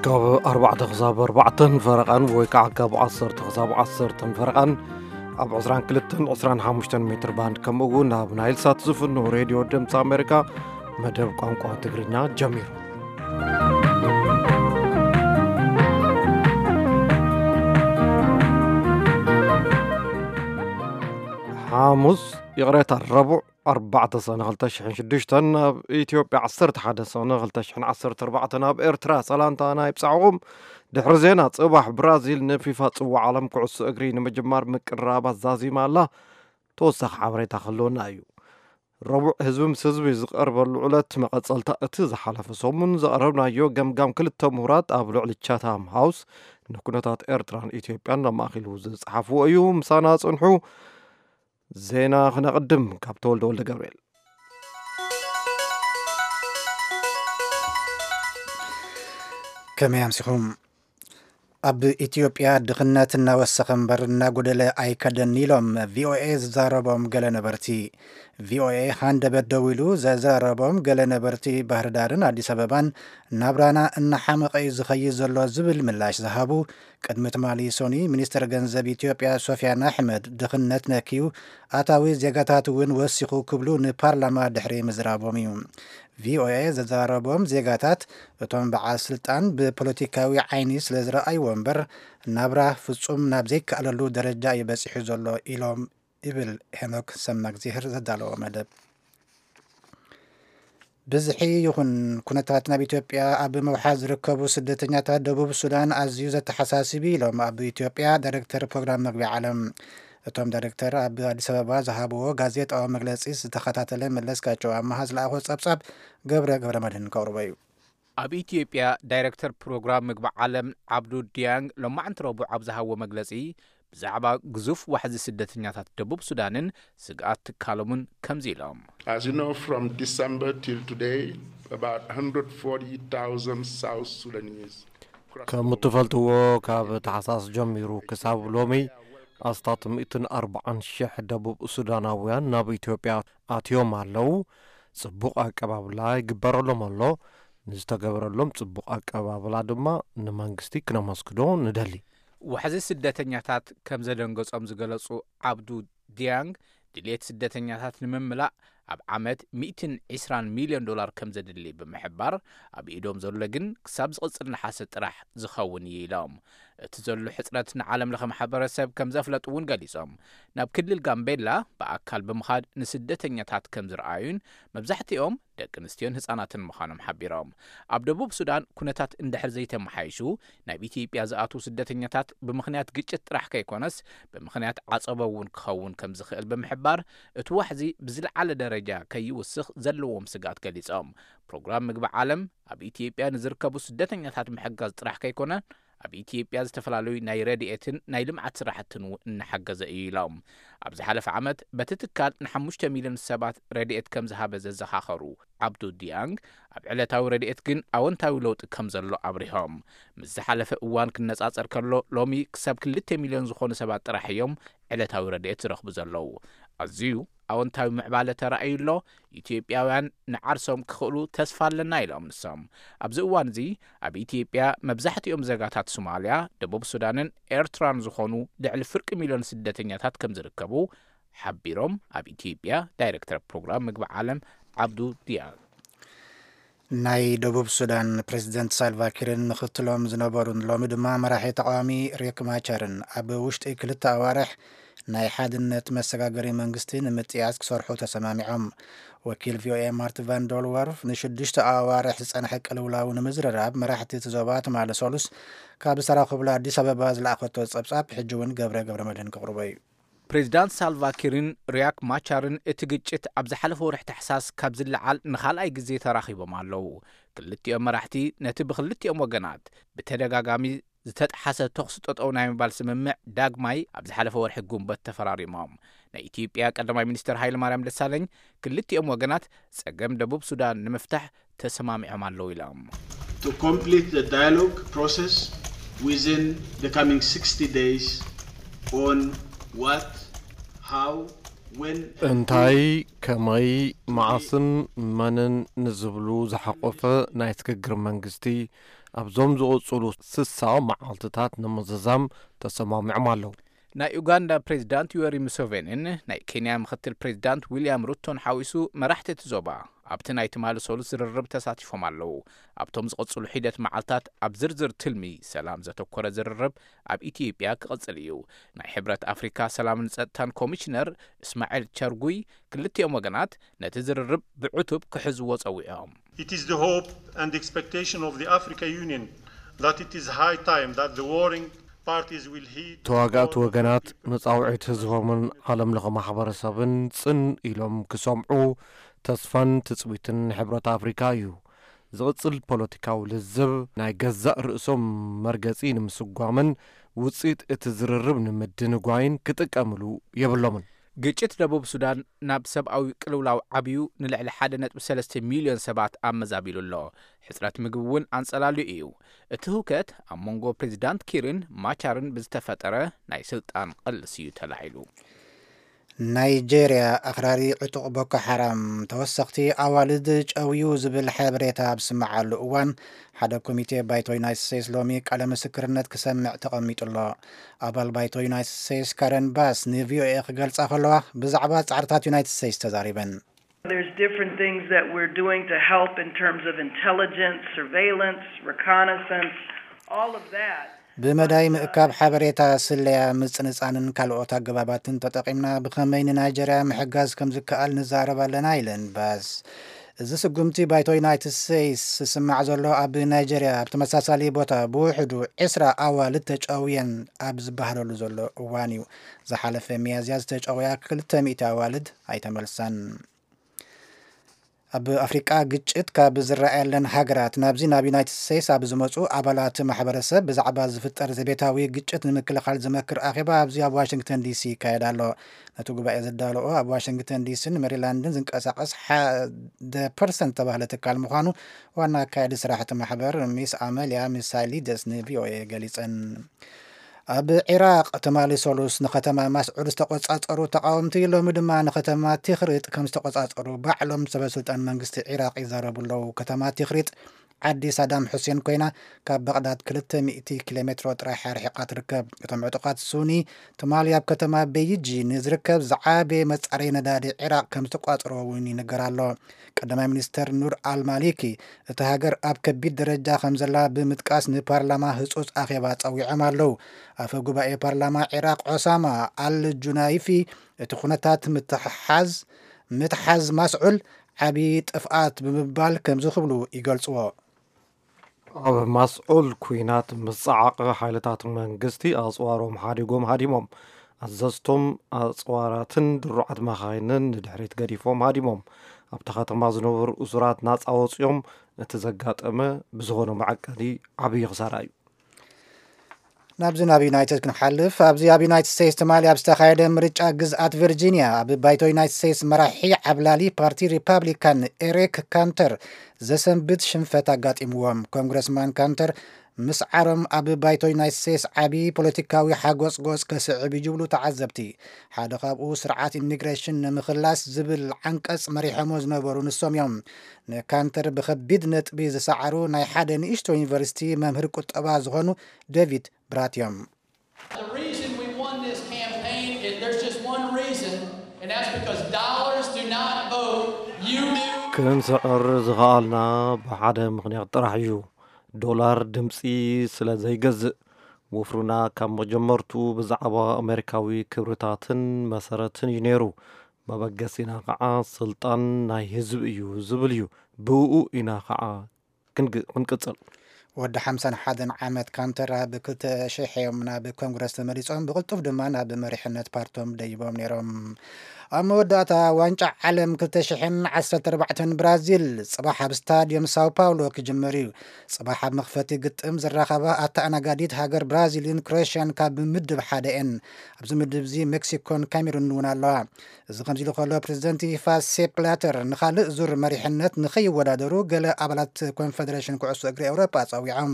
ካብ ኣርባዕተ ክሳብ ኣርባዕተን ፈረቓን ወይ ከዓ ካብ ዓሰርተ ክሳብ ዓሰርተን ፈረቓን ኣብ ዕስራን ክልተን ዕስራን ሓሙሽተን ሜትር ባንድ፣ ከምኡ እውን ኣብ ናይል ሳት ዝፍኖ ሬድዮ ድምፂ ኣሜሪካ መደብ ቋንቋ ትግርኛ ጀሚሩ። ሓሙስ፣ ይቕሬታ፣ ረቡዕ ኣርባዕተ ሰነ ክልተ ሽሕን ሽዱሽተን፣ ኣብ ኢትዮጵያ ዓሰርተ ሓደ ሰነ ክልተ ሽሕን ዓሰርተ ኣርባዕተን፣ ኣብ ኤርትራ ሰላምታና ይብጻሕኹም። ድሕሪ ዜና፣ ጽባሕ ብራዚል ንፊፋ ጽዋዕ ዓለም ኩዕሶ እግሪ ንምጅማር ምቅርራባ ዛዚማ ኣላ። ተወሳኺ ሓበሬታ ክህልወና እዩ። ረቡዕ፣ ህዝቢ ምስ ህዝቢ ዝቐርበሉ ዕለት፣ መቐጸልታ እቲ ዝሓለፈ ሰሙን ዘቕረብናዮ ገምጋም ክልተ ምሁራት ኣብ ልዕሊ ቻታም ሃውስ ንኩነታት ኤርትራን ኢትዮጵያን ኣማእኪሉ ዝጸሓፍዎ እዩ። ምሳና ጽንሑ። ዜና ክነቕድም ካብ ተወልደ ወልደ ገብርኤል። ከመይ ኣምሲኹም? ኣብ ኢትዮጵያ ድኽነት እናወሰኸ እምበር እናጎደለ ኣይከደን ኢሎም ቪኦኤ ዝዛረቦም ገለ ነበርቲ። ቪኦኤ ሃንደበት ደዊሉ ዘዘራረቦም ገለ ነበርቲ ባህርዳርን ኣዲስ ኣበባን ናብራና እናሓመቐ እዩ ዝኸይድ ዘሎ ዝብል ምላሽ ዝሃቡ፣ ቅድሚ ትማሊ ሶኒ ሚኒስትር ገንዘብ ኢትዮጵያ ሶፊያን ኣሕመድ ድኽነት ነክዩ ኣታዊ ዜጋታት እውን ወሲኹ ክብሉ ንፓርላማ ድሕሪ ምዝራቦም እዩ። ቪኦኤ ዘዘራረቦም ዜጋታት፣ እቶም በዓል ስልጣን ብፖለቲካዊ ዓይኒ ስለ ዝረኣይዎ እምበር፣ ናብራ ፍጹም ናብ ዘይከኣለሉ ደረጃ እዩ በጺሑ ዘሎ ኢሎም፣ ይብል ሄኖክ ሰማእግዚሄር ዘዳለዎ መደብ። ብዝሒ ይኹን ኩነታት ናብ ኢትዮጵያ ኣብ ምውሓዝ ዝርከቡ ስደተኛታት ደቡብ ሱዳን ኣዝዩ ዘተሓሳስብ እዩ ኢሎም ኣብ ኢትዮጵያ ዳይሬክተር ፕሮግራም መግቢ ዓለም። እቶም ዳይሬክተር ኣብ ኣዲስ ኣበባ ዝሃብዎ ጋዜጣዊ መግለጺ ዝተኸታተለ መለስካቸው ኣመሃ ዝለኣኾ ጸብጻብ ገብረ ገብረ መድህን ከቕርቦ እዩ። ኣብ ኢትዮጵያ ዳይሬክተር ፕሮግራም ምግቢ ዓለም ዓብዱ ዲያንግ ሎማዕንቲ ረቡዕ ኣብ ዝሃብዎ መግለጺ፣ ብዛዕባ ግዙፍ ዋሕዚ ስደተኛታት ደቡብ ሱዳንን ስግኣት ትካሎምን ከምዚ ኢሎም። As you know, from December till today, about one hundred forty thousand South Sudanese ከም እትፈልጥዎ፣ ካብ ታሕሳስ ጀሚሩ ክሳብ ሎሚ ኣስታት ሚእትን ኣርባዓን ሽሕ ደቡብ ሱዳናውያን ናብ ኢትዮጵያ ኣትዮም ኣለዉ። ጽቡቕ ኣቀባብላ ይግበረሎም ኣሎ። ንዝተገበረሎም ጽቡቕ ኣቀባብላ ድማ ንመንግስቲ ክነመስግኖ ንደሊ። ዋሕዚ ስደተኛታት ከም ዘደንገጾም ዝገለጹ ዓብዱ ዲያንግ፣ ድሌት ስደተኛታት ንምምላእ ኣብ ዓመት ሚእትን ዕስራን ሚልዮን ዶላር ከም ዘድሊ ብምሕባር፣ ኣብ ኢዶም ዘሎ ግን ክሳብ ዝቕጽል ነሓሰ ጥራሕ ዝኸውን እዩ ኢሎም። እቲ ዘሎ ሕጽረት ንዓለም ለኸ ማሕበረሰብ ከም ዘፍለጡ እውን ገሊጾም። ናብ ክልል ጋምቤላ ብኣካል ብምኻድ ንስደተኛታት ከም ዝረኣዩን፣ መብዛሕትኦም ደቂ ኣንስትዮን ህጻናትን ምዃኖም ሓቢሮም። ኣብ ደቡብ ሱዳን ኩነታት እንድሕር ዘይተመሓይሹ፣ ናብ ኢትዮጵያ ዝኣትዉ ስደተኛታት ብምኽንያት ግጭት ጥራሕ ከይኮነስ፣ ብምኽንያት ዓጸቦ እውን ክኸውን ከም ዝኽእል ብምሕባር፣ እቲ ዋሕዚ ብዝለዓለ ደረጃ ከይውስኽ ዘለዎም ስግኣት ገሊጾም። ፕሮግራም ምግቢ ዓለም ኣብ ኢትዮጵያ ንዝርከቡ ስደተኛታት ምሕጋዝ ጥራሕ ከይኮነ፣ ኣብ ኢትዮጵያ ዝተፈላለዩ ናይ ረድኤትን ናይ ልምዓት ስራሕትን እውን እናሓገዘ እዩ ኢሎም። ኣብ ዝሓለፈ ዓመት በቲ ትካል ንሓሙሽተ ሚልዮን ሰባት ረድኤት ከም ዝሃበ ዘዘኻኸሩ ዓብዱ ዲያንግ፣ ኣብ ዕለታዊ ረድኤት ግን ኣወንታዊ ለውጢ ከም ዘሎ ኣብሪሆም። ምስ ዝሓለፈ እዋን ክነጻጸር ከሎ፣ ሎሚ ክሳብ ክልተ ሚልዮን ዝኾኑ ሰባት ጥራሕ እዮም ዕለታዊ ረድኤት ዝረኽቡ ዘለዉ። ኣዝዩ ኣወንታዊ ምዕባለ ተራእዩ ኣሎ። ኢትዮጵያውያን ንዓርሶም ክኽእሉ ተስፋ ኣለና ኢሎም ንሶም። ኣብዚ እዋን እዚ ኣብ ኢትዮጵያ መብዛሕትኦም ዜጋታት ሶማልያ፣ ደቡብ ሱዳንን ኤርትራን ዝኾኑ ልዕሊ ፍርቂ ሚልዮን ስደተኛታት ከም ዝርከቡ ሓቢሮም። ኣብ ኢትዮጵያ ዳይሬክተር ፕሮግራም ምግቢ ዓለም ዓብዱ ዲያል። ናይ ደቡብ ሱዳን ፕሬዝደንት ሳልቫኪርን ምኽትሎም ዝነበሩን ሎሚ ድማ መራሒ ተቃዋሚ ሪክ ማቻርን ኣብ ውሽጢ ክልተ ኣዋርሕ ናይ ሓድነት መሰጋገሪ መንግስቲ ንምጥያስ ክሰርሑ ተሰማሚዖም። ወኪል ቪኦኤ ማርት ቫን ዶልወርፍ ንሽዱሽተ ኣዋርሕ ዝጸንሐ ቅልውላው ንምዝርራብ መራሕቲ እቲ ዞባ ትማሊ ሰሉስ ካብ ዝተራኸቡሉ ኣዲስ ኣበባ ዝለኣኸቶ ጸብጻብ ሕጂ እውን ገብረ ገብረ መድህን ክቕርቦ እዩ። ፕሬዝዳንት ሳልቫኪርን ሪያክ ማቻርን እቲ ግጭት ኣብ ዝሓለፈ ወርሒ ታሕሳስ ካብ ዝለዓል ንኻልኣይ ግዜ ተራኺቦም ኣለዉ። ክልቲኦም መራሕቲ ነቲ ብክልቲኦም ወገናት ብተደጋጋሚ ዝተጠሓሰ ተኹሲ ጠጠው ናይ ምባል ስምምዕ ዳግማይ ኣብ ዝሓለፈ ወርሒ ጉንበት ተፈራሪሞም። ናይ ኢትዮጵያ ቀዳማይ ሚኒስትር ሃይለ ማርያም ደሳለኝ ክልቲኦም ወገናት ጸገም ደቡብ ሱዳን ንምፍታሕ ተሰማሚዖም ኣለዉ ኢሎም። To complete the dialogue process within the coming sixty days on what, how እንታይ፣ ከመይ፣ መዓስን መንን ንዝብሉ ዝሓቆፈ ናይ ስግግር መንግስቲ ኣብዞም ዝቕጽሉ ስሳ መዓልትታት ንምዝዛም ተሰማሚዖም ኣለዉ። ናይ ኡጋንዳ ፕሬዚዳንት ዮወሪ ሙሴቬኒን ናይ ኬንያ ምክትል ፕሬዚዳንት ዊልያም ሩቶን ሓዊሱ መራሕቲ እቲ ዞባ ኣብቲ ናይ ትማሊ ሰሉስ ዝርርብ ተሳቲፎም ኣለዉ። ኣብቶም ዝቕጽሉ ሒደት መዓልታት ኣብ ዝርዝር ትልሚ ሰላም ዘተኮረ ዝርርብ ኣብ ኢትዮጵያ ክቕጽል እዩ። ናይ ሕብረት ኣፍሪካ ሰላምን ጸጥታን ኮሚሽነር እስማኤል ቸርጉይ ክልቲኦም ወገናት ነቲ ዝርርብ ብዕቱብ ክሕዝዎ ጸዊዖም። It is the hope and expectation of the Africa Union that it is high time that the warring parties will heed ተዋጋእቲ ወገናት ንጻውዒት ህዝቦምን ዓለም ለኸ ማሕበረሰብን ጽን ኢሎም ክሰምዑ ተስፋን ትጽቢትን ሕብረት ኣፍሪካ እዩ። ዝቕጽል ፖለቲካዊ ልዝብ ናይ ገዛእ ርእሶም መርገጺ ንምስጓምን ውጽኢት እቲ ዝርርብ ንምድንጓይን ክጥቀምሉ የብሎምን። ግጭት ደቡብ ሱዳን ናብ ሰብኣዊ ቅልውላው ዓብዩ ንልዕሊ ሓደ ነጥቢ ሰለስተ ሚልዮን ሰባት ኣመዛቢሉ ኣሎ። ሕጽረት ምግቢ እውን ኣንጸላልዩ እዩ። እቲ ህውከት ኣብ መንጎ ፕሬዚዳንት ኪርን ማቻርን ብዝተፈጠረ ናይ ስልጣን ቅልስ እዩ ተላዒሉ። ናይጄርያ ኣኽራሪ ዕጡቕ ቦኮ ሓራም ተወሰኽቲ ኣዋልድ ጨውዩ ዝብል ሓበሬታ ኣብ ዝስምዓሉ እዋን ሓደ ኮሚቴ ባይቶ ዩናይትድ ስቴትስ ሎሚ ቃለ ምስክርነት ክሰምዕ ተቐሚጡ ኣሎ። ኣባል ባይቶ ዩናይትድ ስቴትስ ካረን ባስ ንቪኦኤ ክገልጻ ከለዋ ብዛዕባ ጻዕርታት ዩናይትድ ስቴትስ ተዛሪበን። There's different things that we're doing to help in terms of intelligence, surveillance, reconnaissance, all of that. ብመዳይ ምእካብ ሓበሬታ ስለያ ምጽንጻንን ካልኦት ኣገባባትን ተጠቒምና ብኸመይ ንናይጀርያ ምሕጋዝ ከም ዝከኣል ንዛረብ ኣለና ኢለን ባስ። እዚ ስጉምቲ ባይቶ ዩናይትድ ስቴትስ ዝስማዕ ዘሎ ኣብ ናይጀርያ ኣብ ተመሳሳሊ ቦታ ብውሕዱ ዕስራ ኣዋልድ ተጨውየን ኣብ ዝበሃለሉ ዘሎ እዋን እዩ። ዝሓለፈ ሚያዝያ ዝተጨውያ ክልተ ሚእቲ ኣዋልድ ኣይተመልሳን። ኣብ ኣፍሪቃ ግጭት ካብ ዝረኣየለን ሃገራት ናብዚ ናብ ዩናይትድ ስቴትስ ኣብ ዝመፁ ኣባላት ማሕበረሰብ ብዛዕባ ዝፍጠር ዘቤታዊ ግጭት ንምክልኻል ዝመክር ኣኼባ ኣብዚ ኣብ ዋሽንግተን ዲሲ ይካየድ ኣሎ። ነቲ ጉባኤ ዘዳለኦ ኣብ ዋሽንግተን ዲሲን ሜሪላንድን ዝንቀሳቐስ ሓደ ፐርሰንት ዝተባህለ ትካል ምዃኑ ዋና ኣካያዲ ስራሕቲ ማሕበር ሚስ ኣመልያ ሚሳይሊደስ ንቪኦኤ ገሊፀን። ኣብ ዒራቕ ትማሊ ሰሉስ ንከተማ ማስዑል ዝተቆጻጸሩ ተቃወምቲ ሎሚ ድማ ንከተማ ቲኽሪጥ ከም ዝተቆጻጸሩ ባዕሎም ሰበስልጣን መንግስቲ ዒራቕ ይዛረቡ ኣለዉ። ከተማ ቲኽሪጥ ዓዲ ሳዳም ሑሴን ኮይና ካብ ባቕዳድ ክልተ ሚእቲ ኪሎ ሜትሮ ጥራሕ ኣርሒቓ ትርከብ። እቶም ዕጡቓት ሱኒ ትማሊ ኣብ ከተማ ቤይጂ ንዝርከብ ዝዓበየ መጻረይ ነዳዲ ዒራቕ ከም ዝተቋጽርዎ እውን ይንገር ኣሎ። ቀዳማይ ሚኒስተር ኑር ኣልማሊኪ እቲ ሃገር ኣብ ከቢድ ደረጃ ከም ዘላ ብምጥቃስ ንፓርላማ ህጹጽ ኣኼባ ጸዊዖም ኣለዉ። ኣፈ ጉባኤ ፓርላማ ዒራቕ ዖሳማ ኣል ጁናይፊ እቲ ኩነታት ምትሓዝ ምትሓዝ ማስዑል ዓቢ ጥፍኣት ብምባል ከምዚ ክብሉ ይገልጽዎ። ኣብ ማስዑል ኲናት ምስ ጸዓቐ ሓይልታት መንግስቲ ኣጽዋሮም ሓዲጎም ሃዲሞም። ኣዘዝቶም ኣጽዋራትን ድሩዓት መኻይንን ንድሕሪት ገዲፎም ሃዲሞም። ኣብታ ከተማ ዝነበሩ እሱራት ናጻ ወጺኦም። እቲ ዘጋጠመ ብዝኾነ መዐቀኒ ዓብዪ ክሳራ እዩ። ናብዚ ናብ ዩናይትድ ክንሓልፍ። ኣብዚ ኣብ ዩናይትድ ስቴትስ ትማሊ ኣብ ዝተኻየደ ምርጫ ግዝኣት ቨርጂኒያ ኣብ ባይቶ ዩናይትድ ስቴትስ መራሒ ዓብላሊ ፓርቲ ሪፓብሊካን ኤሪክ ካንተር ዘሰንብት ሽንፈት ኣጋጢምዎም። ኮንግረስማን ካንተር ምስዓሮም ኣብ ባይቶ ዩናይትድ ስቴትስ ዓቢ ፖለቲካዊ ሓጎጽጎጽ ከስዕብ እዩ ይብሉ ተዓዘብቲ። ሓደ ካብኡ ስርዓት ኢሚግሬሽን ንምኽላስ ዝብል ዓንቀጽ መሪሖሞ ዝነበሩ ንሶም እዮም። ንካንተር ብኸቢድ ነጥቢ ዝሰዓሩ ናይ ሓደ ንእሽቶ ዩኒቨርሲቲ መምህር ቁጠባ ዝኾኑ ዴቪድ ብራት እዮም። The reason we won this campaign is there's just one reason, and that's because dollars do not vote. You do. ክንስዕር ዝኸኣልና ብሓደ ምኽንያት ጥራሕ እዩ። ዶላር ድምፂ ስለ ዘይገዝእ። ወፍሩና ካብ መጀመርቱ ብዛዕባ ኣሜሪካዊ ክብርታትን መሰረትን እዩ ነይሩ። መበገሲና ከዓ ስልጣን ናይ ህዝቢ እዩ ዝብል እዩ። ብእኡ ኢና ከዓ ክንግ- ክንቅፅል። ወዲ ሓምሳን ሓደን ዓመት ካንተር ኣብ ክልተ ሽሕ እዮም ናብ ኮንግረስ ተመሪጾም፣ ብቕልጡፍ ድማ ናብ መሪሕነት ፓርቶም ደይቦም ነይሮም። ኣብ መወዳእታ ዋንጫ ዓለም ክልተ ሽሕን ዓሰርተ ኣርባዕተን ብራዚል ጽባሕ ኣብ ስታድዮም ሳው ፓውሎ ክጅምር እዩ። ጽባሕ ኣብ መኽፈቲ ግጥም ዝራኸባ ኣተኣናጋዲት ሃገር ብራዚልን ክሮኤሽያን ካብ ምድብ ሓደ እየን። ኣብዚ ምድብ እዚ ሜክሲኮን ካሜሩን እውን ኣለዋ። እዚ ከምዚ ኢሉ ከሎ ፕሬዚደንት ፊፋ ሴፕ ብላተር ንኻልእ ዙር መሪሕነት ንኸይወዳደሩ ገለ ኣባላት ኮንፈደሬሽን ኩዕሶ እግሪ ኤውሮጳ ጸዊዖም።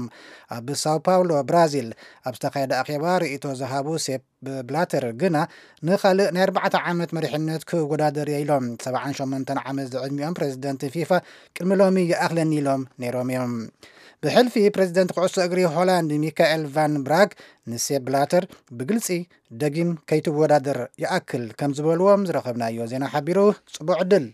ኣብ ሳው ፓውሎ ብራዚል ኣብ ዝተኻየደ ኣኼባ ርእይቶ ዝሃቡ ሴፕ ብላተር ግና ንኻልእ ናይ ኣርባዕተ ዓመት መሪሕነት ክወዳደር እየ ኢሎም። ሰብዓን ሸሞንተን ዓመት ዝዕድሚኦም ፕሬዚደንት ፊፋ ቅድሚ ሎሚ ይኣኽለኒ ኢሎም ነይሮም እዮም። ብሕልፊ ፕሬዚደንት ኩዕሶ እግሪ ሆላንድ ሚካኤል ቫን ብራግ ንሴፕ ብላተር ብግልጺ ደጊም ከይትወዳደር ይኣክል ከም ዝበልዎም ዝረኸብናዮ ዜና ሓቢሩ። ጽቡቕ ዕድል።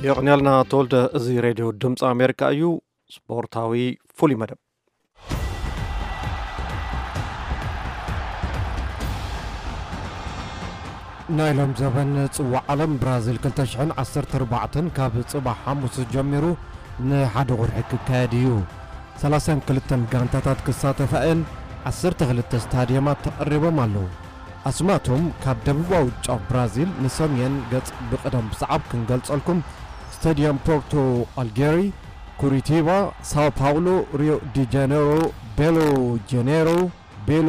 የቕንያልና ተወልደ። እዚ ሬድዮ ድምፂ ኣሜሪካ እዩ። ስፖርታዊ ፍሉይ መደብ። ናይ ሎም ዘበን ጽዋዕ ዓለም ብራዚል ክልተ ሽሕን ዓሰርተ ኣርባዕተን ካብ ጽባሕ ሓሙስ ጀሚሩ ንሓደ ወርሒ ክካየድ እዩ። ሰላሳን ክልተን ጋንታታት ክሳተፋ እየን። ዓሰርተ ክልተ ስታድየማት ተቐሪቦም ኣለዉ። ኣስማቶም ካብ ደቡባዊ ጫፍ ብራዚል ንሰሜን ገጽ ብቕደም ብሰዓብ ክንገልጸልኩም፣ ስታድየም ፖርቶ ኣልጌሪ፣ ኩሪቲባ፣ ሳው ፓውሎ፣ ሪዮ ዲ ጃኔሮ፣ ቤሎ ጀኔሮ፣ ቤሎ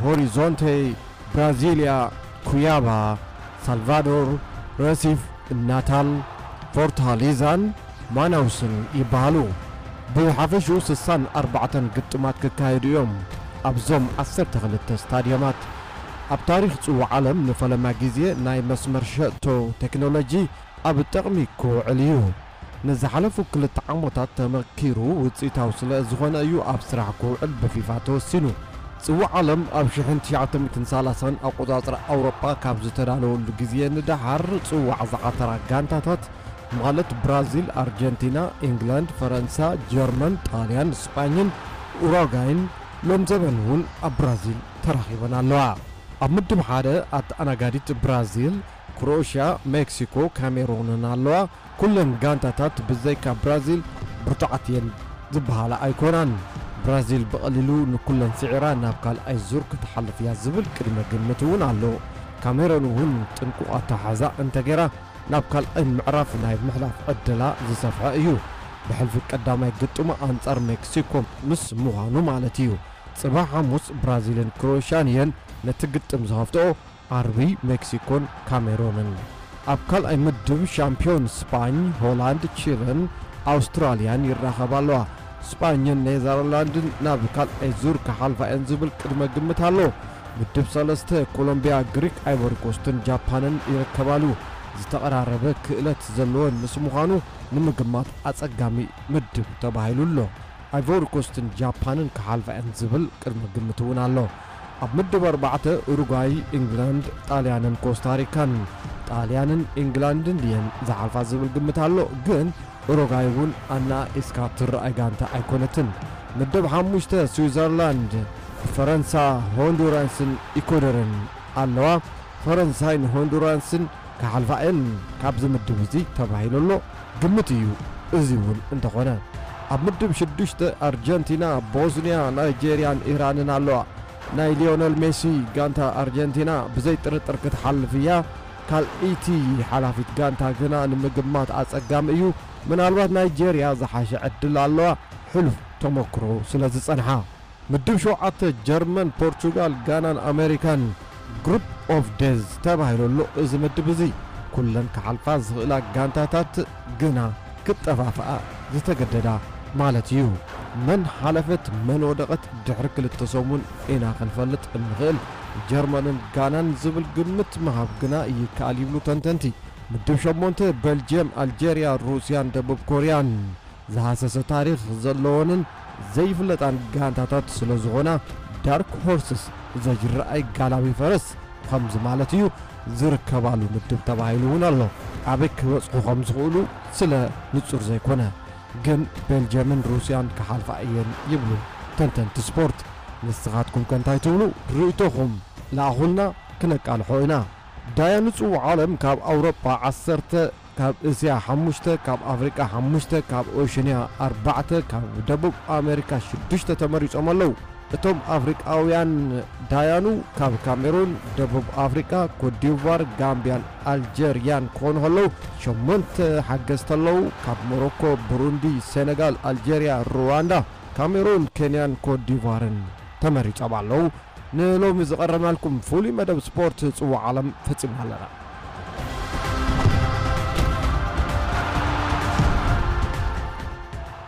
ሆሪዞንቴ፣ ብራዚልያ፣ ኩያባ፣ ሳልቫዶር፣ ረሲፍ፣ ናታል፣ ፎርታሊዛን ማናውስን ይበሃሉ። ብሓፈሽኡ ስሳን ኣርባዕተን ግጥማት ክካየዱ እዮም ኣብዞም ዓሰርተ ክልተ ስታድየማት። ኣብ ታሪኽ ጽዋዕ ዓለም ንፈለማ ግዜ ናይ መስመር ሸቶ ቴክኖሎጂ ኣብ ጥቕሚ ክውዕል እዩ። ንዝሓለፉ ክልተ ዓመታት ተመኪሩ ውጽኢታዊ ስለ ዝኾነ እዩ ኣብ ስራሕ ክውዕል ብፊፋ ተወሲኑ። ጽዋዕ ዓለም ኣብ ሽሕን ትሽዓተ ሚእትን ሰላሳን ኣቆጻጽራ ኣውሮጳ ካብ ዝተዳለወሉ ግዜ ንደሓር ጽዋዕ ዝዓተራ ጋንታታት ማለት ብራዚል፣ ኣርጀንቲና፣ ኢንግላንድ፣ ፈረንሳ፣ ጀርመን፣ ጣልያን፣ ስጳኝን ኡራጓይን ሎም ዘበን እውን ኣብ ብራዚል ተራኺበን ኣለዋ። ኣብ ምድብ ሓደ ኣተኣናጋዲት ብራዚል፣ ክሮኤሽያ፣ ሜክሲኮ፣ ካሜሩንን ኣለዋ። ኩለን ጋንታታት ብዘይካ ብራዚል ብርቱዓት እየን ዝበሃላ ኣይኮናን። ብራዚል ብቐሊሉ ንኩለን ስዒራ ናብ ካልኣይ ዙር ክትሓልፍ እያ ዝብል ቅድመ ግምት እውን ኣሎ። ካሜሩን እውን ጥንቁቕ ኣተሓሕዛ እንተገይራ ናብ ካልኣይ ምዕራፍ ናይ ምሕላፍ ዕድላ ዝሰፍሐ እዩ። ብሕልፊ ቀዳማይ ግጥሙ ኣንጻር ሜክሲኮ ምስ ምዃኑ ማለት እዩ። ጽባሕ ሓሙስ ብራዚልን ክሮኤሽያን እየን ነቲ ግጥም ዝኸፍትኦ። ዓርቢ ሜክሲኮን ካሜሮንን። ኣብ ካልኣይ ምድብ ሻምፒዮን ስጳኝ፣ ሆላንድ፣ ቺልን ኣውስትራልያን ይራኸባ ኣለዋ። ስጳኝን ኔዘርላንድን ናብ ካልኣይ ዙር ክሓልፋ እየን ዝብል ቅድመ ግምት ኣሎ። ምድብ ሰለስተ ኮሎምቢያ፣ ግሪክ፣ ኣይቮሪኮስትን ጃፓንን ይርከባሉ። ዝተቐራረበ ክእለት ዘለወን ምስ ምዃኑ ንምግማት ኣጸጋሚ ምድብ ተባሂሉ ኣሎ። ኣይቮሪኮስትን ጃፓንን ክሓልፋ እየን ዝብል ቅድመ ግምት እውን ኣሎ። ኣብ ምድብ ኣርባዕተ ኡሩጓይ፣ ኢንግላንድ፣ ጣልያንን ኮስታሪካን። ጣልያንን ኢንግላንድን ድየን ዝሓልፋ ዝብል ግምት ኣሎ፣ ግን ኡሩጓይ እውን ኣናኢስካ ትረኣይ ጋንታ ኣይኮነትን። ምድብ ሓሙሽተ ስዊዘርላንድ፣ ፈረንሳ፣ ሆንዱራስን ኢኮደርን ኣለዋ። ፈረንሳይን ሆንዱራስን ክሓልፋ እየን ካብዚ ምድብ እዚ ተባሂሉ ኣሎ። ግምት እዩ እዚ እውን እንተኾነ። ኣብ ምድብ ሽዱሽተ ኣርጀንቲና፣ ቦስንያ፣ ናይጄርያን ኢራንን ኣለዋ። ናይ ሊዮነል ሜሲ ጋንታ ኣርጀንቲና ብዘይ ጥርጥር ክትሓልፍ እያ። ካልኣይቲ ሓላፊት ጋንታ ግና ንምግማት ኣጸጋሚ እዩ። ምናልባት ናይጄርያ ዝሓሸ ዕድል ኣለዋ፣ ሕሉፍ ተመክሮ ስለ ዝጸንሓ። ምድብ ሸውዓተ ጀርመን፣ ፖርቹጋል፣ ጋናን ኣሜሪካን ግሩፕ ኦፍ ዴዝ ተባሂሉ ኣሎ። እዚ ምድብ እዚ ኩለን ክሓልፋ ዝኽእላ ጋንታታት ግና ክጠፋፍኣ ዝተገደዳ ማለት እዩ። መን ሓለፈት መን ወደቐት ድሕሪ ክልተ ሰሙን ኢና ክንፈልጥ እንኽእል። ጀርመንን ጋናን ዝብል ግምት ምሃብ ግና ይከኣል ይብሉ ተንተንቲ። ምድብ ሸሞንተ ቤልጅየም፣ ኣልጀርያ፣ ሩስያን ደቡብ ኮርያን። ዝሃሰሰ ታሪኽ ዘለወንን ዘይፍለጣን ጋንታታት ስለ ዝኾና ዳርክ ሆርስስ ዘይረኣይ ጋላቢ ፈረስ ከምዚ ማለት እዩ ዝርከባሉ ምድብ ተባሂሉ እውን ኣሎ። ኣበይ ክበጽሑ ከም ዝኽእሉ ስለ ንጹር ዘይኮነ ግን ቤልጅየምን ሩስያን ክሓልፋ እየን ይብሉ ተንተንቲ ስፖርት። ንስኻትኩም ከ እንታይ ትብሉ? ርእይቶኹም ለኣኹልና ክነቃልሖ ኢና። ዳያኑ ጽዋዕ ዓለም ካብ ኣውሮጳ ዓሰርተ፣ ካብ እስያ ሓሙሽተ፣ ካብ ኣፍሪቃ ሓሙሽተ፣ ካብ ኦሽንያ ኣርባዕተ፣ ካብ ደቡብ ኣሜሪካ ሽዱሽተ ተመሪጾም ኣለዉ። እቶም ኣፍሪቃውያን ዳያኑ ካብ ካሜሩን፣ ደቡብ ኣፍሪቃ፣ ኮትዲቯር፣ ጋምብያን ኣልጀርያን ክኾኑ ከለዉ፣ ሸሞንተ ሓገዝቲ ኣለዉ። ካብ ሞሮኮ፣ ብሩንዲ፣ ሴነጋል፣ ኣልጀርያ፣ ሩዋንዳ፣ ካሜሩን፣ ኬንያን ኮትዲቯርን ተመሪጾም ኣለዉ። ንሎሚ ዝቐረብናልኩም ፍሉይ መደብ ስፖርት ጽዋዕ ዓለም ፈጺምና ኣለና።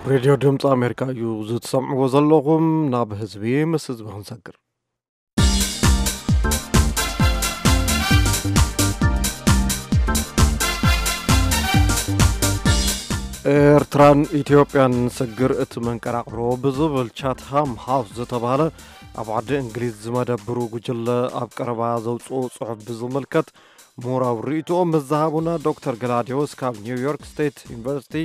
ሬድዮ ድምፂ ኣሜሪካ እዩ ዝትሰምዕዎ ዘለኹም። ናብ ህዝቢ ምስ ህዝቢ ክንሰግር። ኤርትራን ኢትዮጵያን ስግር እቲ መንቀራቕሮ ብዝብል ቻትሃም ሃውስ ዝተባህለ ኣብ ዓዲ እንግሊዝ ዝመደብሩ ጉጅለ ኣብ ቀረባ ዘውፅኦ ጽሑፍ ብዝምልከት ምሁራዊ ርእይትኦም ምስ ዝሃቡና ዶክተር ገላዲዮስ ካብ ኒውዮርክ ስቴት ዩኒቨርሲቲ፣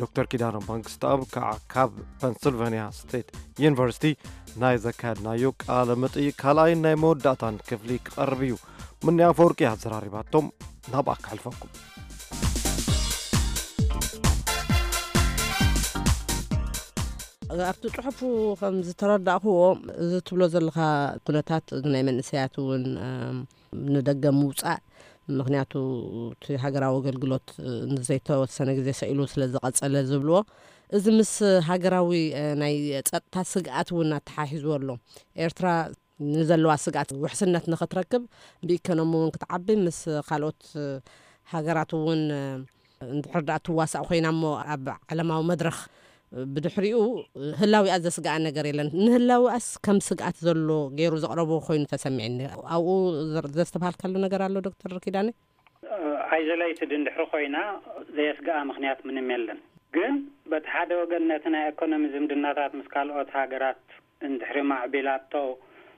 ዶክተር ኪዳነ መንግስተኣብ ከዓ ካብ ፐንስልቫኒያ ስቴት ዩኒቨርሲቲ ናይ ዘካየድናዮ ቃለ መጠይቅ ካልኣይን ናይ መወዳእታን ክፍሊ ክቐርብ እዩ። ምንያ ኣፈወርቂ ኣዘራሪባቶም ናብኣ ከሕልፈኩም። ኣብቲ ጽሑፉ ከም ዝተረዳእኩዎ፣ እዚ ትብሎ ዘለኻ ኩነታት ናይ መንእሰያት እውን፣ እም፣ ንደገ ምውጻእ፣ ምኽንያቱ እቲ ሃገራዊ ኣገልግሎት፣ እ፣ ንዘይተወሰነ ግዜ ሰኢሉ ስለ ዝቐጸለ ዝብልዎ፣ እዚ ምስ ሃገራዊ፣ እ፣ ናይ ጸጥታ ስግኣት እውን ኣተሓሒዝዎ ኣሎ። ኤርትራ ንዘለዋ ስግኣት ውሕስነት ንኽትረክብ፣ ብኢኮኖሚ እውን ክትዓቢ፣ ምስ ካልኦት፣ እ፣ ሃገራት እውን፣ እ፣ እንድሕር ደኣ ትዋሳእ ኮይና እሞ ኣብ ዓለማዊ መድረኽ፣ እ፣ ብድሕሪኡ ህላዊኣ ዘስግኣ ነገር የለን። ንህላዊኣስ ከም ስግኣት ዘሎ ገይሩ ዘቕረቦ ኮይኑ ተሰሚዕኒ። ኣብኡ ዘር-፣ ዘስተብሃልካሉ ነገር ኣሎ ዶክተር ኪዳነ? ኣይዞሌትድ እንድሕሪ ኮይና ዘየስግኣ ምኽንያት ምንም የለን። ግን በቲ ሓደ ወገን ነቲ ናይ ኢኮኖሚ ዝምድናታት ምስ ካልኦት ሃገራት እንድሕሪ ማዕቢላቶ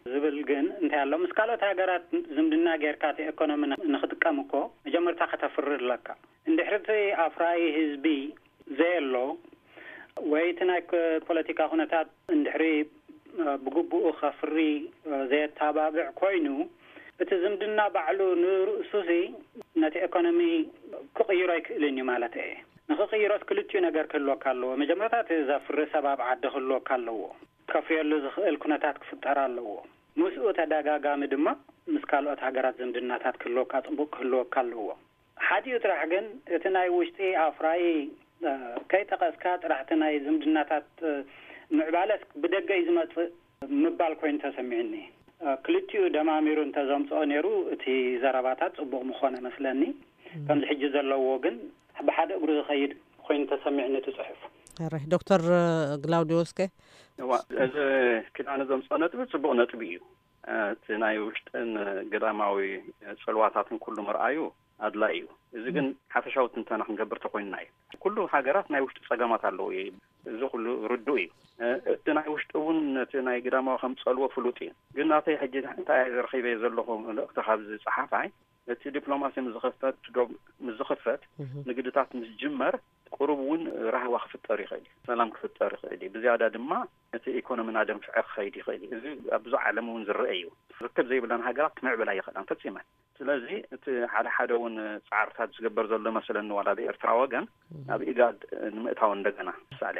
ዝብል ግን እንታይ ኣሎ? ምስ ካልኦት ሃገራት ዝምድና ጌርካ እቲ ኢኮኖሚ ን-፣ ንኽጥቀም እኮ መጀመርታ ከተፍሪ ኣለካ። እንድሕሪ እቲ ኣፍራዪ ህዝቢ ዘየሎ ወይ እቲ ናይ ክ-፣ ፖለቲካ ኩነታት እንድሕሪ፣ እ፣ ብግቡኡ ከፍሪ፣ እ፣ ዘየተባብዕ ኮይኑ፣ እቲ ዝምድና ባዕሉ ንርእሱሲ ነቲ ኢኮኖሚ ክቕይሮ ኣይክእልን እዩ ማለት እየ። ንኽቕይሮስ ክልቲኡ ነገር ክህልወካ ኣለዎ። መጀመርታ እቲ ዘፍሪ ሰብ ኣብ ዓዲ ክህልወካ ኣለዎ። ከፍርየሉ ዝኽእል ኩነታት ክፍጠር ኣለዎ። ምስኡ ተደጋጋሚ ድማ ምስ ካልኦት ሃገራት ዝምድናታት ክህልወካ፣ ጽቡቕ ክህልወካ ኣለዎ። ሓዲኡ ጥራሕ ግን እቲ ናይ ውሽጢ ኣፍራዪ፣ እ፣ ከይጠቐስካ ጥራሕ እቲ ናይ ዝምድናታት፣ እ፣ ምዕባለስ ብደገ እዩ ዝመጽእ ምባል ኮይኑ ተሰሚዑኒ። እ፣ ክልቲኡ ደማሚሩ እንተዘምጽኦ ነይሩ እቲ ዘረባታት ጽቡቕ ምኾነ መስለኒ። ከምዚ ሕጂ ዘለዎ ግን ብሓደ እግሩ ዝኸይድ ኮይኑ ተሰሚዑኒ እቲ ጽሑፍ። ሕራይ። ዶክተር ግላውዲዮስ ከ? እዋ፣ እዚ ኪዳነ ዘምጽኦ ነጥቢ ጽቡቕ ነጥቢ እዩ። እ፣ እቲ ናይ ውሽጥን ግዳማዊ ጽልዋታትን ኩሉ ምርኣዩ ኣድላዪ እዩ። እዚ ግን ሓፈሻዊ ትንተና ክንገብር ተኮይንና እዩ። ኩሉ ሃገራት ናይ ውሽጢ ጸገማት ኣለዎ እዩ። እዚ ኩሉ ርዱእ እዩ። እ፣ እቲ ናይ ውሽጢ እውን ነቲ ናይ ግዳማዊ ከም ጸልዎ ፍሉጥ እዩ። ግን ናተይ ሕጂ እንታይ ረኺበ ዘለኹ መልእኽቲ ካብዚ ጸሓፋይ፣ እቲ ዲፕሎማሲ ምስ ዝኽፈት፣ ዶ-፣ ምስ ዝኽፈት፣ እህ። ንግድታት ምስ ዝጅመር፣ ቁሩብ እውን ራህዋ ክፍጠር ይኽእል እዩ፣ ሰላም ክፍጠር ይኽእል እዩ። ብዝያዳ ድማ እቲ ኢኮኖሚ እናደንፍዐ ክኸይድ ይኽእል እዩ። እዚ ኣብ ብዙሕ ዓለም እውን ዝረአ እዩ። ርክብ ዘይብለን ሃገራት ክምዕብላ ይኽእላን ፈጺመን። ስለዚ እቲ ሓደ ሓደ እውን ጻዕርታት ዝግበር ዘሎ መስለኒ፣ ዋላ ብኤርትራ ወገን እህ። ናብ ኢጋድ ንምእታው እንደገና፣ ምሳሌ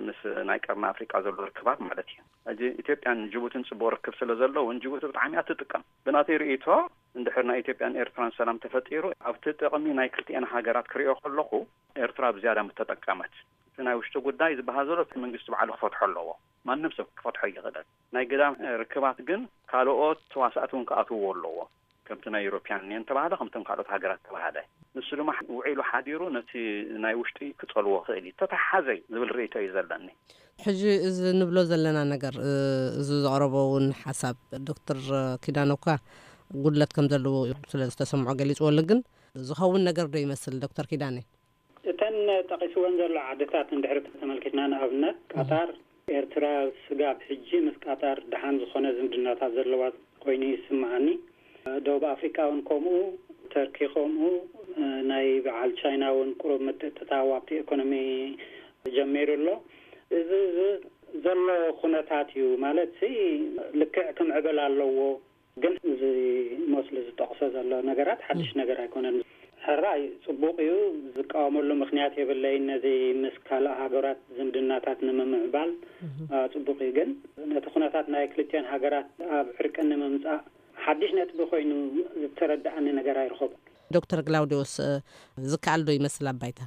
ምስ ናይ ቀርኒ ኣፍሪቃ ዘሎ ርክባት ማለት እዩ። ሕጂ ኢትዮጵያን ጅቡትን ጽቡቕ ርክብ ስለ ዘለውን፣ ጅቡቲ ብጣዕሚ እያ ትጥቀም። ብናተይ ርእይቶ፣ እንድሕር ናይ ኢትዮጵያን ኤርትራን ሰላም ተፈጢሩ፣ ኣብቲ ጥቕሚ ናይ ክልቲኤን ሃገራት ክሪኦ ከለኹ፣ ኤርትራ ብዝያዳ ምተጠቀመት። እቲ ናይ ውሽጢ ጉዳይ ዝበሃል ዘሎ፣ እቲ መንግስቲ ባዕሉ ክፈትሖ ኣለዎ። ማንም ሰብ ክፈትሖ ይኽእል። ናይ ግዳም ርክባት ግን ካልኦት ተዋሳእቲ እውን ክኣትውዎ ኣለዎ። ከምቲ ናይ ዩሮፒያን ዩኒየን ተባህለ፣ ከምቶም ካልኦት ሃገራት ተባህለ። ንሱ ድማ ውዒሉ ሓዲሩ ነቲ ናይ ውሽጢ ክጸልዎ ክእል እዩ። ተተሓዘ ዝብል ርእይቶ እዩ ዘለኒ። ሕጂ እዚ ንብሎ ዘለና ነገር፣ እ፣ እዚ ዘቕረቦ እውን ሓሳብ ዶክተር ኪዳነ እኳ ጉድለት ከም ዘለዎ ስለ ዝተሰምዖ ገሊጽዎ ኣሎ። ግን ዝኸውን ነገር ዶ ይመስል ዶክተር ኪዳነ? እተን ጠቒስወን ዘሎ ዓድታት እንድሕሪ ተመልኪትና፣ ንኣብነት ቃጣር፣ ኤርትራ ስጋብ ሕጂ ምስ ቃጣር ደሓን ዝኾነ ዝምድናታት ዘለዋ ኮይኑ ይስምዓኒ። ደቡብ ኣፍሪቃ እውን ከምኡ፣ ተርኪ ከምኡ፣ ናይ በዓል ቻይና እውን ቁሩብ ምትእትታው ኣብቲ ኢኮኖሚ ጀሚሩ ኣሎ። እዚ፣ እዚ ዘሎ ኩነታት እዩ። ማለት ሲ ልክዕ ክምዕብል ኣለዎ። ግን እዚ ሞስሊ ዝጠቕሶ ዘሎ ነገራት ሓድሽ ነገር ኣይኮነን። ሕራይ ጽቡቕ እዩ፣ ዝቃወመሉ ምኽንያት የብለይን። ነዚ ምስ ካልእ ሃገራት ዝምድናታት ንምምዕባል፣ እህ። አ፣ ጽቡቕ እዩ። ግን ነቲ ኩነታት ናይ ክልቲኦን ሃገራት ኣብ ዕርቂ ንምምጻእ ሓድሽ ነጥቢ ኮይኑ ዝተረድኣኒ ነገር ኣይረኸብኩን። ዶክተር ግላውዲዮስ፣ እ፣ ዝከኣል ዶ ይመስል ኣብ ባይታ?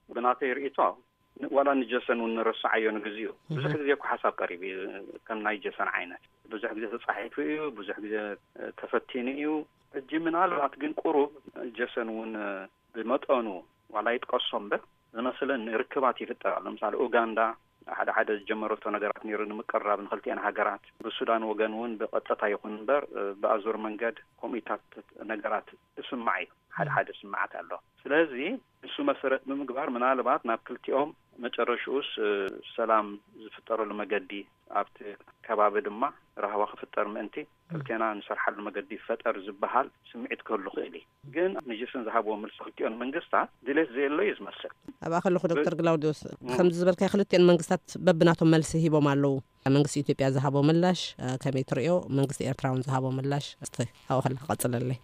ብናተይ ርእይቶ፣ ን-፣ ዋላ ንጀሰን እውን ንረስዓዮ ንግዚኡ። ብዙሕ እህ። ግዜ እኮ ሓሳብ ቀሪቡ እዩ፣ ከም ናይ ጀሰን ዓይነት። ብዙሕ ግዜ ተጻሒፉ እዩ፣ ብዙሕ ግዜ፣ እ፣ ተፈቲኑ እዩ። ሕጂ ምናልባት ግን ቁሩብ ጀሰን እውን፣ እ፣ ብመጠኑ ዋላ ይጥቀሶ እምበር፣ ዝመስለኒ ርክባት ይፍጠር ኣሎ። ምሳሌ ኡጋንዳ ሓደ ሓደ ዝጀመረቶ ነገራት ነይሩ ንምቅርራብ ንክልቲአን ሃገራት። ብሱዳን ወገን እውን ብቐጥታ ይኹን እምበር፣ እ፣ ብኣዙር መንገድ ከምኡታት ነገራት ይስማዕ እዩ። ሓደ ሓደ ስምዓት ኣሎ። ስለዚ ንሱ መሰረት ብምግባር ምናልባት ናብ ክልቲኦም መጨረሽኡስ፣ እ፣ ሰላም ዝፍጠረሉ መገዲ ኣብቲ ከባቢ ድማ ራህዋ ክፍጠር ምእንቲ ክልቴና ንሰርሓሉ መገዲ ይፈጠር ዝበሃል ስምዒት ክህሉ ክእል እዩ። ግን ንጅስን ዝሃብዎ መልሲ ክልቲኦን መንግስታት ድሌት ዘየሎ እዩ ዝመስል። ኣብኣ ከለኹ ዶክተር ግላውዲዮስ፣ ከምዚ ዝበልካዮ ክልቲኦን መንግስታት በብናቶም መልሲ ሂቦም ኣለዉ። መንግስቲ ኢትዮጵያ ዝሃቦ ምላሽ፣ እ፣ ከመይ ትርእዮ? መንግስቲ ኤርትራ እውን ዝሃቦ ምላሽ እስቲ ኣብኡ ከለኻ ቀጽለለይ።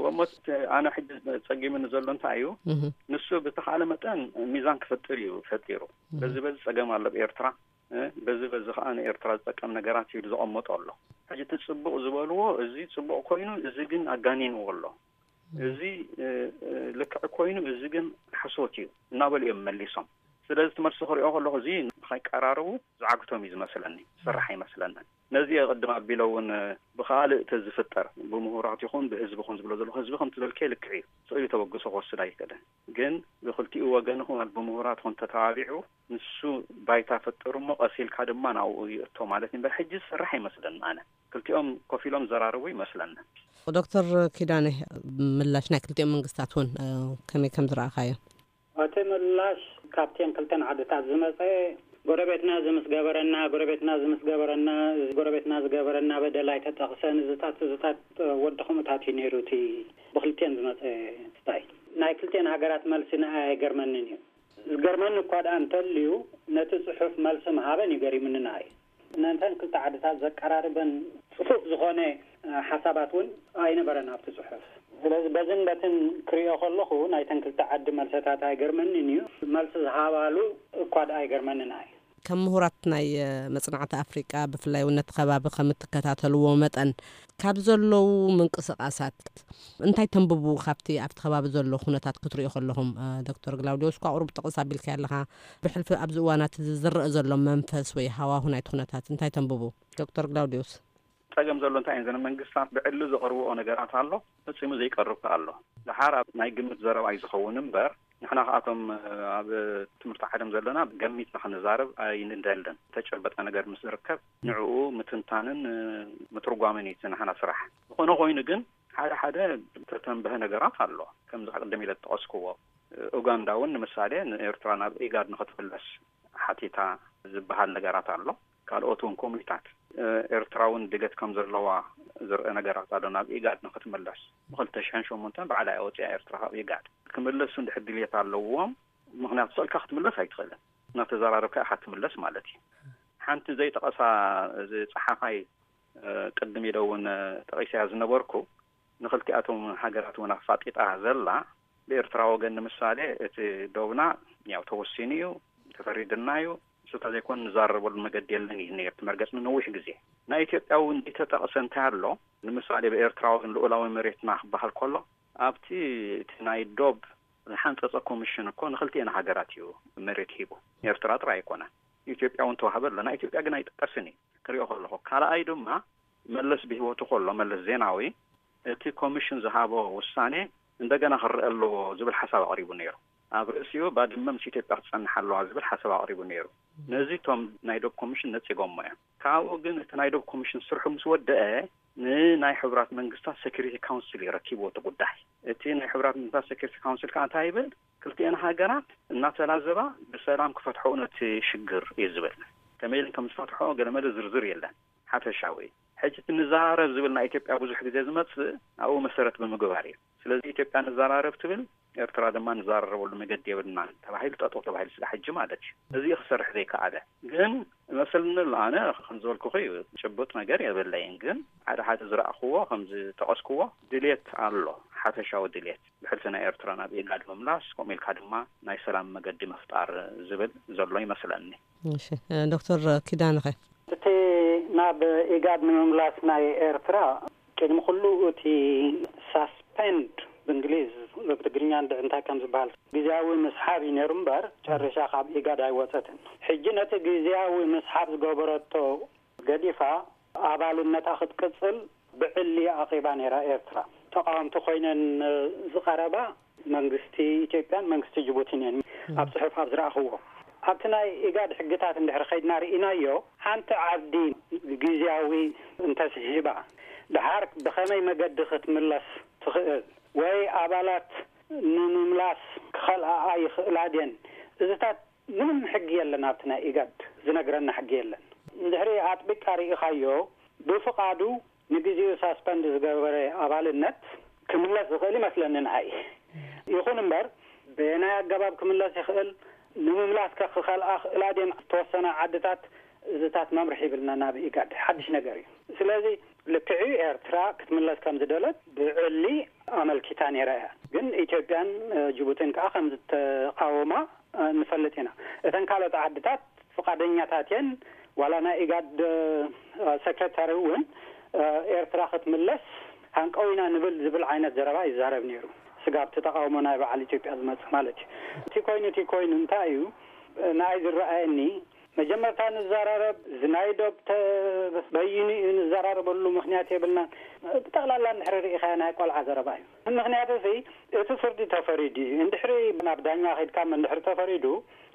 እሞ እቲ ኣነ ሕጂ ጸጊሙኒ ዘሎ እንታይ እዩ? እህ። ንሱ ብተኻለ መጠን ሚዛን ክፈጥር እዩ ፈጢሩ። እህ። በዚ በዚ ጸገም ኣሎ ኣብ ኤርትራ፣ እ፣ በዚ በዚ ከኣ ንኤርትራ ዝጠቀም ነገራት እዩ ዘቐመጦ ኣሎ። ሕጂ እቲ ጽቡቕ ዝበልዎ፣ እዚ ጽቡቕ ኮይኑ፣ እዚ ግን ኣጋኒንዎ ኣሎ። እዚ፣ እ፣ እ፣ ልክዕ ኮይኑ፣ እዚ ግን ሓሶት እዩ እናበሉ እዮም መሊሶም። ስለዚ እቲ መልሲ ክሪኦ ከለኹ፣ እዚ ንኸይቀራረቡ ዝዓግቶም እዩ ዝመስለኒ፣ ዝስራሕ ኣይመስለንን። ነዚ እየ ቅድም ኣቢለ እውን፣ እ፣ ብኻልእ ተዝፍጠር፣ ብምሁራት ይኹን ብህዝቢ ይኹን ዝብሎ ዘለኹ፣ ህዝቢ ከምቲ ዝበልከ ልክዕ እዩ። ስቕ ኢሉ ተበግሶ ክወስድ ኣይክእልን። ግን ብክልቲኡ ወገን ይኹን ብምሁራት ይኹን ተተባቢዑ፣ ንሱ ባይታ ፈጠሩ እሞ፣ ቀስ ኢልካ ድማ ናብኡ ይእቶ ማለት እዩ። እምበር ሕጂ ዝስራሕ ኣይመስለንን ኣነ። ክልቲኦም ኮፍ ኢሎም ዘራርቡ ይመስለኒ። ዶክተር ኪዳነ፣ ምላሽ ናይ ክልቲኦም መንግስታት እውን፣ እ፣ ከመይ ከም ዝረኣኻዮ? እቲ ምላሽ ካብተን ክልተን ዓድታት ዝመጸ፣ ጎረቤትና እዚ ምስ ገበረና፣ ጎረቤትና እዚ ምስ ገበረና፣ እዚ ጎረቤትና ዝገበረና በደል ኣይተጠቕሰን፣ እዚታት፣ እዚታት ወዲ ከምኡታት እዩ ነይሩ እቲ ብክልቲአን ዝመጸ ስታይ። ናይ ክልቲአን ሃገራት መልሲ ንኣይ ኣይገርመንን እዩ። ዝገርመኒ እኳ ደኣ እንተልዩ፣ ነቲ ጽሑፍ መልሲ ምሃበን እዩ ገሪሙኒ ንኣይ። ነተን ክልተ ዓድታት ዘቀራርበን ጽፉፍ ዝኾነ፣ እ፣ ሓሳባት እውን ኣይነበረን ኣብቲ ጽሑፍ። ስለዚ በዝን በትን ክሪኦ ከለኹ ናይተን ክልተ ዓዲ መልሰታት ኣይገርመንን እዩ። መልሲ ዝሃባሉ እኳ ደኣ ኣይገርመንን ኣይ። ከም ምሁራት ናይ፣ እ፣ መጽናዕቲ ኣፍሪቃ፣ ብፍላይ እውን ነቲ ከባቢ ከም እትከታተልዎ መጠን፣ ካብ ዘለዉ ምንቅስቓሳት እንታይ ተንብቡ? ካብቲ ኣብቲ ከባቢ ዘሎ ኩነታት ክትሪኦ ከለኹም፣ እ፣ ዶክተር ግላውዲዮስ፣ እኳ ቁሩብ ጠቕስ ኣቢልካዮ ኣለኻ። ብሕልፊ ኣብዚ እዋናት እዚ ዝረአ ዘሎ መንፈስ ወይ ሃዋሁ ናይቲ ኩነታት እንታይ ተንብቡ? ዶክተር ግላውዲዮስ። ጸገም ዘሎ እንታይ እዩ? ዘን መንግስታት ብዕሊ ዘቕርብኦ ነገራት ኣሎ፣ ፈጺሙ ዘይቀርብ ከኣ ኣሎ። ደሓር ኣብ ናይ ግምት ዘረባ እዩ ዝኸውን እምበር፣ ንሕና ከኣቶም ኣብ ትምህርቲ ዓለም ዘለና ገሚትና ክንዛረብ ኣይንደልን። ተጨበጠ ነገር ምስ ዝርከብ ንዕኡ ምትንታንን ምትርጓምን እዩ እቲ ንሕና ስራሕ። ዝኾነ ኮይኑ ግን ሓደ ሓደ ዝተተንበሀ ነገራት ኣሎ። ከምዚ ቅድም ኢለ ዝጠቐስክዎ፣ ኡጋንዳ እውን ንምሳሌ ንኤርትራ ናብ ኢጋድ ንኽትምለስ ሓቲታ ዝበሃል ነገራት ኣሎ። ካልኦት እውን ኮሚታት፣ እ፣ ኤርትራ እውን ድሌት ከም ዘለዋ ዝርአ ነገራት ኣሎ። ናብ ኢጋድ ንክትምለስ ብክልተ ሽሕን ሸሞንተን ባዕላ እያ ወፂኣ ኤርትራ ካብ ኢጋድ። ክምለሱ እንድሕር ድሌት ኣለዎም፣ ምክንያቱ ስቕልካ ክትምለስ ኣይትኽእልን። እናተዘራረብካ ኢኻ ትምለስ ማለት እዩ። ሓንቲ ዘይጠቐሳ እዚ ጸሓፋይ፣ እ፣ ቅድም ኢለ እውን፣ እ፣ ጠቒሰያ ዝነበርኩ፣ ንክልቲኣቶም ሃገራት እውን ኣፋጢጣ ዘላ፣ ብኤርትራ ወገን ንምሳሌ እቲ ዶብና ያው ተወሲኑ እዩ፣ ተፈሪድና እዩ፣ እሱ እንተዘይኮን ንዛረበሉ መገዲ የለን እዩ ነይሩ እቲ መርገጽ ንነዊሕ ግዜ። ናይ ኢትዮጵያ እውን ዘይተጠቕሰ እንታይ ኣሎ? ንምሳሌ ብኤርትራ ወገን ልኡላዊ መሬትና ክበሃል ከሎ፣ ኣብቲ እቲ ናይ ዶብ ዝሓንጸጸ ኮሚሽን እኮ ንክልቲኤን ሃገራት እዩ መሬት ሂቡ። ኤርትራ ጥራይ ኣይኮነን። ኢትዮጵያ እውን ተዋህበ ኣሎ። ናይ ኢትዮጵያ ግን ኣይጥቀስን እዩ ክሪኦ ከለኹ። ካልኣይ ድማ መለስ ብህይወቱ ከሎ፣ መለስ ዜናዊ፣ እቲ ኮሚሽን ዝሃቦ ውሳኔ እንደገና ክረአ ኣለዎ ዝብል ሓሳብ ኣቕሪቡ ነይሩ። ኣብ ርእሲኡ ባድመ ምስ ኢትዮጵያ ክትጸንሕ ኣለዋ ዝብል ሓሳብ ኣቕሪቡ ነይሩ። ነዚ እቶም ናይ ዶብ ኮሚሽን ነጺጎሞ እዮም። ካብኡ ግን እቲ ናይ ዶብ ኮሚሽን ስርሑ ምስ ወደአ ንናይ ሕቡራት መንግስታት ሴኩሪቲ ካውንስል እዩ ረኪብዎ እቲ ጉዳይ። እቲ ናይ ሕቡራት መንግስታት ሴኩሪቲ ካውንስል ከኣ እንታይ ይብል? ክልቲኤን ሃገራት እናተላዘባ ብሰላም ክፈትሐኦ ነቲ ሽግር እዩ ዝብል። ከመይ ኢለን ከም ዝፈትሐኦ ገለመለ ዝርዝር የለን። ሓፈሻዊ ሕጂ እቲ ንዘራረብ ዝብል ናይ ኢትዮጵያ ብዙሕ ግዜ ዝመጽእ ኣብኡ መሰረት ብምግባር እዩ። ስለዚ ኢትዮጵያ ንዘራረብ ትብል፣ ኤርትራ ድማ ንዘራረበሉ መገዲ የብልናን ተባሂሉ ጠጠው ተባሂሉ ስለ ሕጂ ማለት እዩ። እዚ እዩ ክሰርሕ ዘይከኣለ። ግን መሰልኒ ኣሎ፣ ኣነ ከም ዝበልኩኺ እዩ፣ ጭቡጥ ነገር የብለይን። ግን ሓደ ሓደ ዝረኣኽዎ ከም ዝጠቐስክዎ ድሌት ኣሎ፣ ሓፈሻዊ ድሌት ብሕልፊ ናይ ኤርትራ ናብ ኢጋድ ምምላስ፣ ከምኡ ኢልካ ድማ ናይ ሰላም መገዲ ምፍጣር ዝብል ዘሎ ይመስለኒ። እሺ፣ ዶክተር ኪዳነኸ? እቲ ናብ ኢጋድ ንምምላስ ናይ ኤርትራ ቅድሚ ኩሉ እቲ ሳስፔንድ ብእንግሊዝ፣ ብትግርኛ እንድዒ እንታይ ከም ዝበሃል ግዝያዊ ምስሓብ እዩ ነይሩ እምበር ጨሪሻ ካብ ኢጋድ ኣይወፀትን። ሕጂ ነቲ ግዝያዊ ምስሓብ ዝገበረቶ ገዲፋ ኣባልነታ ክትቅጽል ብዕሊ ኣቕሪባ ነይራ ኤርትራ። ተቓወምቲ ኮይነን ዝቐረባ መንግስቲ ኢትዮጵያን መንግስቲ ጅቡቲን እዮም ኣብ ጽሑፍ ኣብ ዝረኣኽዎ። ኣብቲ ናይ ኢጋድ ሕግታት እንድሕር ከይድና ርኢናዮ፣ ሓንቲ ዓዲ ግዝያዊ እንተስሒባ፣ ደሓር ብኸመይ መገዲ ክትምለስ ትኽእል ወይ ኣባላት ንምምላስ ክኸልኣኣ ይኽእላ ድየን? እዚታት ምንም ሕጊ የለን፣ ኣብቲ ናይ ኢጋድ ዝነግረና ሕጊ የለን። እንድሕሪ ኣጥቢቃ ርኢኻዮ፣ ብፍቓዱ ንግዜኡ ሳስፐንድ ዝገበረ ኣባልነት ክምለስ ዝኽእል ይመስለኒ ንዓይ። ይኹን እምበር፣ በየናይ ኣገባብ ክምለስ ይኽእል፣ ንምምላስ ከ ክኸልኣ ክእላ ድየን ዝተወሰና ዓድታት፣ እዚታት መምርሒ ይብልና ናብ ኢጋድ። ሓድሽ ነገር እዩ። ስለዚ ልክዕ እዩ፣ ኤርትራ ክትምለስ ከም ዝደለት ብዕሊ ኣመልኪታ ነይራ እያ። ግን ኢትዮጵያን፣ እ፣ ጅቡቲን ከኣ ከም ዝተቃወማ፣ እ፣ ንፈልጥ ኢና። እተን ካልኦት ዓድታት ፍቓደኛታት እየን። ዋላ ናይ ኢጋድ፣ እ፣ ሴክሬታሪ እውን፣ እ፣ ኤርትራ ክትምለስ ሃንቀው ኢና ንብል ዝብል ዓይነት ዘረባ ይዛረብ ነይሩ። ስጋብ እቲ ተቃውሞ ናይ በዓል ኢትዮጵያ ዝመጽእ ማለት እዩ። እቲ ኮይኑ፣ እቲ ኮይኑ እንታይ እዩ፣ እ፣ ንኣይ ዝረኣየኒ፣ መጀመርታ ንዘራረብ፣ ዝናይ ዶብ ተበይኑ እዩ ንዘራረበሉ ምኽንያት የብልናን። ብጠቕላላ እንድሕሪ ርኢኻዮ ናይ ቆልዓ ዘረባ እዩ። ምኽንያቱ ሲ እቲ ፍርዲ ተፈሪዱ እዩ። እንድሕሪ ናብ ዳኛ ከይድካ እንድሕሪ ተፈሪዱ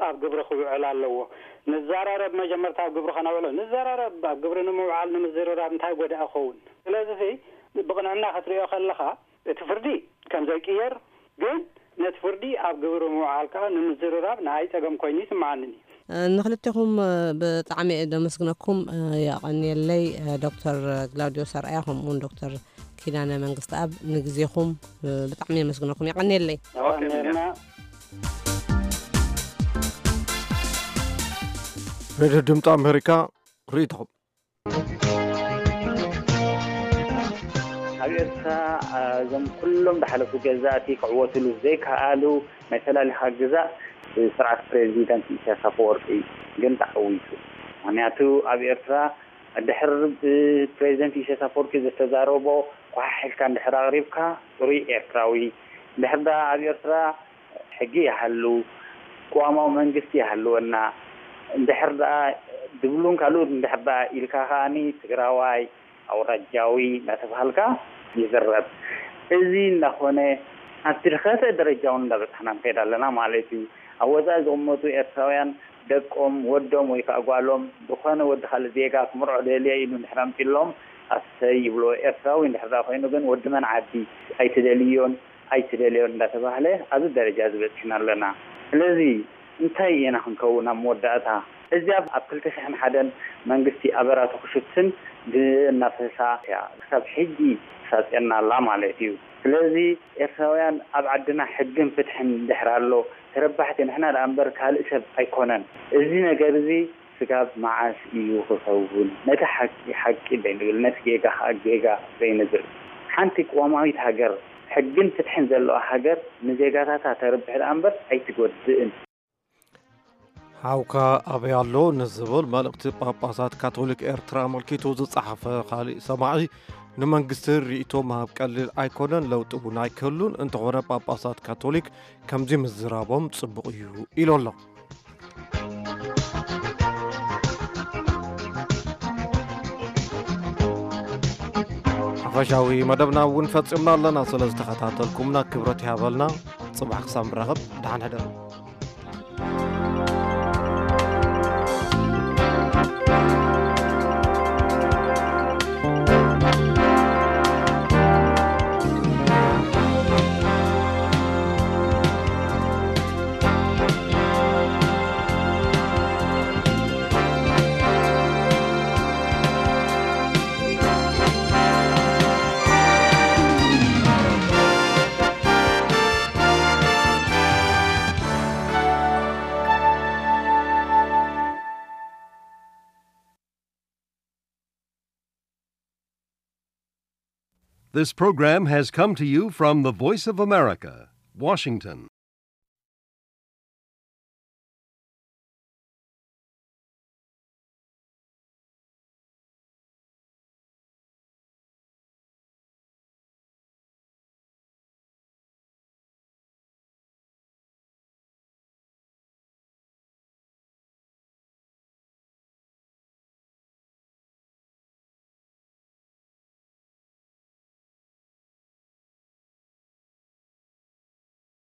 ኣብ ግብሪ ክውዕል ኣለዎ። ንዘራረብ መጀመርታ ኣብ ግብሪ ከነውዕሎ። ንዘራረብ ኣብ ግብሪ ንምውዓል ንምዝርራብ እንታይ ጎዳኢ ይኸውን? ስለዚ ሲ ብቕንዕና ክትሪኦ ከለኻ እቲ ፍርዲ ከም ዘይቅየር ግን ነቲ ፍርዲ ኣብ ግብሪ ምውዓል ከኣ ንምዝርራብ ንኣይ ጸገም ኮይኑ ይስምዓኒ። ንኽልቴኹም ብጣዕሚ እየ ደመስግነኩም። የቐንየለይ ዶክተር ክላውዲዮ ሰርኣያ ከምኡውን ዶክተር ኪዳነ መንግስቲ ኣብ ንግዜኹም ብጣዕሚ የመስግነኩም። የቐንየለይ። የቐንየልና። ሬድዮ ድምፂ ኣሜሪካ ርእይቶኹም። ኣብ ኤርትራ እዞም ኩሎም ዝሓለፉ ገዛእቲ ክዕወትሉ ዘይከኣሉ ናይ ፈላሊኻ ግዛእ ብስርዓት ፕሬዚደንት ኢሳያስ ኣፈወርቂ ግን ተዓዊቱ። ምኽንያቱ ኣብ ኤርትራ ድሕር ብፕሬዚደንት ኢሳያስ ኣፈወርቂ ዝተዛረቦ ኳሕሕ ኢልካ እንድሕር ኣቕሪብካ ጽሩይ ኤርትራዊ፣ እንድሕር ደኣ ኣብ ኤርትራ ሕጊ ይሃሉ፣ ቅዋማዊ መንግስቲ ይሃልወና፣ እንድሕር ደኣ ድብሉን ካልኡን እንድሕር ደኣ ኢልካ ከኣኒ ትግራዋይ፣ ኣውራጃዊ እንዳተባሃልካ ይዝረብ። እዚ እንዳኾነ ኣብቲ ዝኸፍአ ደረጃ እውን እንዳበጻሕና ንኸይድ ኣለና ማለት እዩ። ኣብ ወጻኢ ዝቕመጡ ኤርትራውያን ደቆም፣ ወዶም ወይ ከዓ ጓሎም ዝኾነ ወዲ ካልእ ዜጋ ክምርዖ ደልየ ኢሉ እንድሕር ኣምጺሎም ኣሰይ ይብልዎ። ኤርትራዊ እንድሕር ደኣ ኮይኑ ግን ወዲ መን ዓዲ ኣይትደልዮን ኣይትደልዮን እንዳተባህለ ኣብዚ ደረጃ እዚ በጺሕና ኣለና። ስለዚ እንታይ ኢና ክንከውን ኣብ መወዳእታ? እዚኣ ኣብ ክልተ ሽሕን ሓደን መንግስቲ ኣበራቱ ክሽትን እናፈሳ እያ ክሳብ ሕጂ ትሳጽየና ኣላ ማለት እዩ። ስለዚ ኤርትራውያን ኣብ ዓድና ሕግን ፍትሕን እንድሕር ኣሎ ተረባሕቲ ንሕና ደኣ እምበር ካልእ ሰብ ኣይኮነን። እዚ ነገር እዚ ስጋብ መዓስ እዩ ክኸውን? ነቲ ሓቂ ሓቂ ደይንብል፣ ነቲ ጌጋ ከኣ ጌጋ ዘይንብል። ሓንቲ ቅዋማዊት ሃገር፣ ሕግን ፍትሕን ዘለዋ ሃገር ንዜጋታታ ተርብሕ ደኣ እምበር ኣይትጎድእን። ሓውካ ኣበይ ኣሎ ንዝብል መልእኽቲ ጳጳሳት ካቶሊክ ኤርትራ ኣመልኪቱ ዝጸሓፈ ካሊእ ሰማዒ፣ ንመንግስቲ ርእይቶ ምሃብ ቀሊል ኣይኮነን፣ ለውጢ እውን ኣይክህሉን። እንተኾነ ጳጳሳት ካቶሊክ ከምዚ ምዝራቦም ጽቡቕ እዩ ኢሉ ኣሎ። ሓፈሻዊ መደብና እውን ፈጺምና ኣለና። ስለ ዝተኸታተልኩምና ክብረት ይሃበልና። ጽባሕ ክሳብ ንራኸብ፣ ደሓን ሕደሩ። This program has come to you from the Voice of America, Washington.